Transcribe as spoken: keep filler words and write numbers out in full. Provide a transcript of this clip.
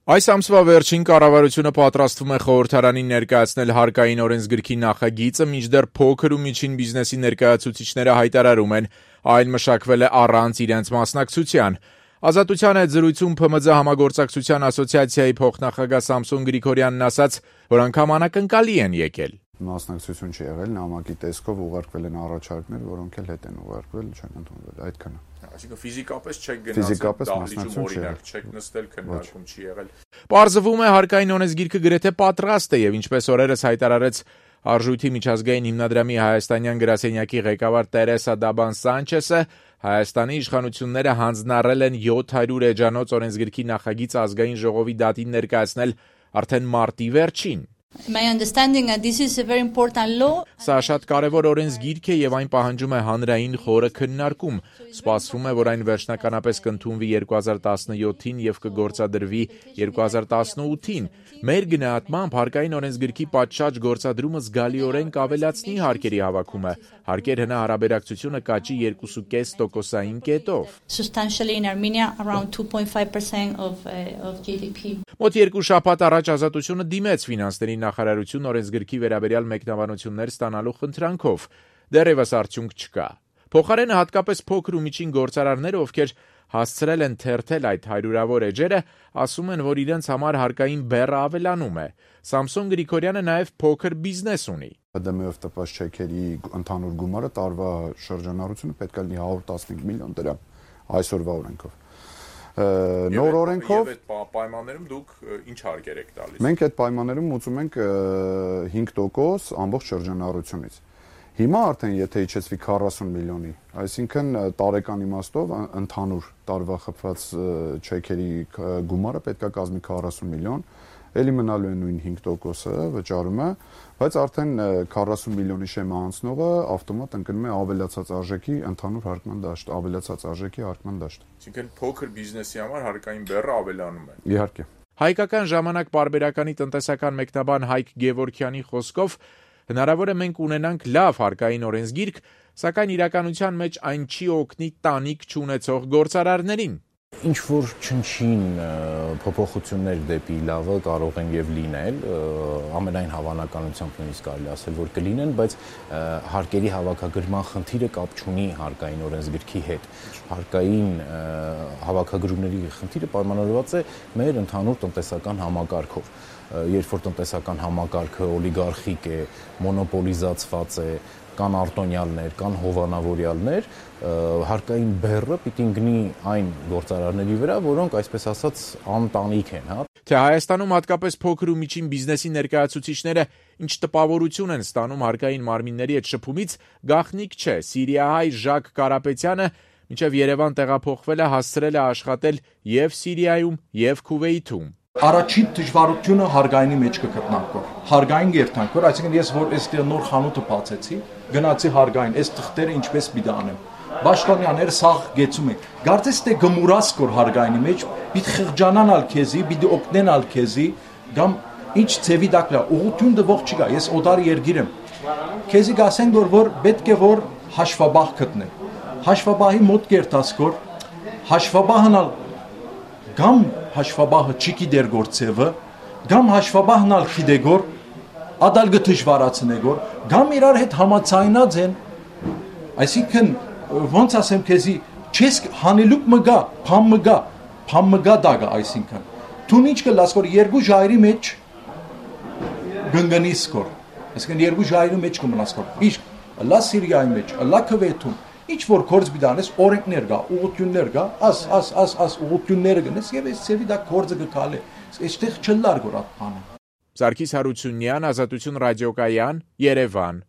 Այս ամսվա վերջին կառավարությունը պատրաստվում է խորհրդարանին ներկայացնել հարկային օրենսգրքի նախագիծը, մինչդեռ փոքր ու միջին բիզնեսի ներկայացուցիչները հայտարարում են, այն մշակվել է առանց իրենց մասնակցության։ Ազատության հետ զրույցում Փ M Ծ համագործակցության ասոցիացիայի փոխնախագահ Սամսոն Գրիգորյանն ասաց, որ անգամ անակնկալի են եկել։ Մասնակցություն չի եղել, նամակի տեսքով ուղարկվել են առաջարկներ, որոնք էլ հետ են ուղարկվել, չեն ընդունվել, այդքանը։ Այսինքն ֆիզիկապես չեք գնացել, դահլիճում օրինակ չեք նստել, քննարկում չի եղել։ Պարզվում է հարկային օրենսգիրքը գրեթե պատրաստ է եւ ինչպես օրերս հայտարարեց Արժույթի միջազգային հիմնադրամի հայաստանյան գրասենյակի ղեկավար Տերեսա Դաբան Սանչեսը, Հայաստանի իշխանությունները հանձնառել են յոթ հարյուր էջանոց օրենսգրքի նախագիծ ազգային ժողովի դատին ներկայացնել արդեն մարտի վերջին։ My understanding that this is a very important law. Սա շատ կարևոր օրենսգիրք է եւ այն պահանջում է հանրային խորը քննարկում։ Սպասվում է, որ այն վերջնականապես կընդունվի երկու հազար տասնյոթին եւ կգործադրվի երկու հազար տասնութին։ Մեր գնահատմամբ հարկային օրենսգրքի պատշաճ գործադրումը զգալիորեն կավելացնի հարկերի հավաքումը։ Հարկեր հնա հարաբերակցությունը կաճի երկու կόμμα պենս տոկոսային կետով։ Substantially in Armenia around two point five percent of uh, of G D P. Մոտ երկու շաբաթ առաջ Ազատությունը դիմեց ֆինանսների նախարարություն օրենսգրքի վերաբերյալ մեկնաբանություններ ստանալու խնդրանքով։ Դեռևս արդյունք չկա։ Փոխարենը հատկապես փոքր ու միջին գործարարները, ովքեր հասցրել են թերթել այդ հարյուրավոր էջերը, ասում են, որ իրենց համար հարկային բեռը ավելանում է։ Սամսոն Գրիգորյանը նաև փոքր բիզնես ունի։ Դ M-ով տված չեքերի ընդհանուր գումարը տարվա շրջանառությունը պետք է լինի հարյուր տասնհինգ միլիոն դրամ այսօրվա օրենքով։ Նոր օրենքով այդ պայմաններում դուք ինչ հարկեր եք տալիս։ Մենք այդ պայմաններում ուծում ենք հինգ տոկոս ամբողջ շրջանառությունից։ Հիմա արդեն եթե իջեցվի քառասուն միլիոնի, այսինքն տարեկան իմաստով ընդհանուր տարվա խփված չեքերի գումարը պետք է կազմի քառասուն միլիոն, էլի մնալու է նույն հինգ տոկոսը վճարումը, բայց արդեն քառասուն միլիոնի շեմը անցնողը ավտոմատ ընկնում է ավելացած արժեքի ընդհանուր հարկման դաշտ, ավելացած արժեքի հարկման դաշտ։ Այսինքն փոքր բիզնեսի համար հարկային բեռը ավելանում է։ Իհարկե։ Հայկական ժամանակ պարբերականի տնտեսական մեկնաբան Հայկ Գևորգյանի խոսքով հնարավոր է մենք ունենանք լավ հարկային օրենսգիրք, սակայն իրականության մեջ այն չի օգնի տանիք չունեցող գործարարներին։ Ինչ որ չնչին փոփոխություններ դեպի լավը կարող են եւ լինել, ամենայն հավանականությամբ նույնիսկ կարելի ասել, որ կլինեն, բայց հարկերի հավաքագրման խնդիրը կապ չունի հարկային օրենսգրքի հետ։ Հարկային հավաքագրումների խնդիրը պայմանավորված է մեր ընդհանուր տնտեսական համակարգով։ Երբ որ տնտեսական համակարգը օլիգարխիկ է, մոնոպոլիզացված է, կան արտոնյալներ, կան հովանավորյալներ, հարկային բեռը պիտի ընկնի այն գործարարների վրա, որոնք այսպես ասած անտանիք են, հա։ Թե Հայաստանում հատկապես փոքր ու միջին բիզնեսի ներկայացուցիչները ինչ տպավորություն են ստանում հարկային մարմինների հետ շփումից, գաղտնիք չէ։ Սիրիահայ Ժակ Կարապետյանը մինչև Երևան տեղափոխվել է, հասցրել է աշխատել եւ Սիրիայում, եւ Քուվեյթում։ Առաջին դժվարությունը հարկայինի մեջ կգտնանքոր։ Հարկային երթանքոր, այսինքն ես որ այստեղ նոր խանութը բացեցի, գնացի հարկային, այս թղթերը ինչպես պիտի անեմ։ Պաշտոնյաները սաղ գեցում են։ Գարցես թե գմուրաս կոր հարկայինի մեջ, պիտի խղճանանալ քեզի, պիտի օգնենալ քեզի, կամ ինչ ծևի դակլա, ուղղություն դվող չկա, ես օտար երգիր եմ։ Քեզի գասեն որ որ պետք է որ հաշվաբահ գտնեմ։ Հաշվաբահի մոտ կերտասկոր, հաշվաբահնալ կամ հաշվաբահը չիկի դեր գործևը, կամ հաշվաբահն ալ խիդեգոր, ադալգը դժվարացնեգոր, կամ իրար հետ համացայնած են, այսինքն ոնց ասեմ քեզի, չես հանելուկ մգա, փամ մգա, փամ մգա դագա, այսինքն, թուն ինչ կլաս կոր երկու ժայրի մեջ գնգնիս կոր, այսինքն երկու ժայրի մեջ կմնաս կոր, իսկ լա Սիրիայի մեջ, լա Քվեյթում, ինչ որ գործ բիդանես օրենքներ գա, ուղղություններ գա, աս աս աս աս ուղղությունները գնես եւ այս ծևի դա գործը գկալե։ Այստեղ չլար գոր ատ բանը։ Սարգիս Հարությունյան, Ազատություն ռադիոկայան, Երևան։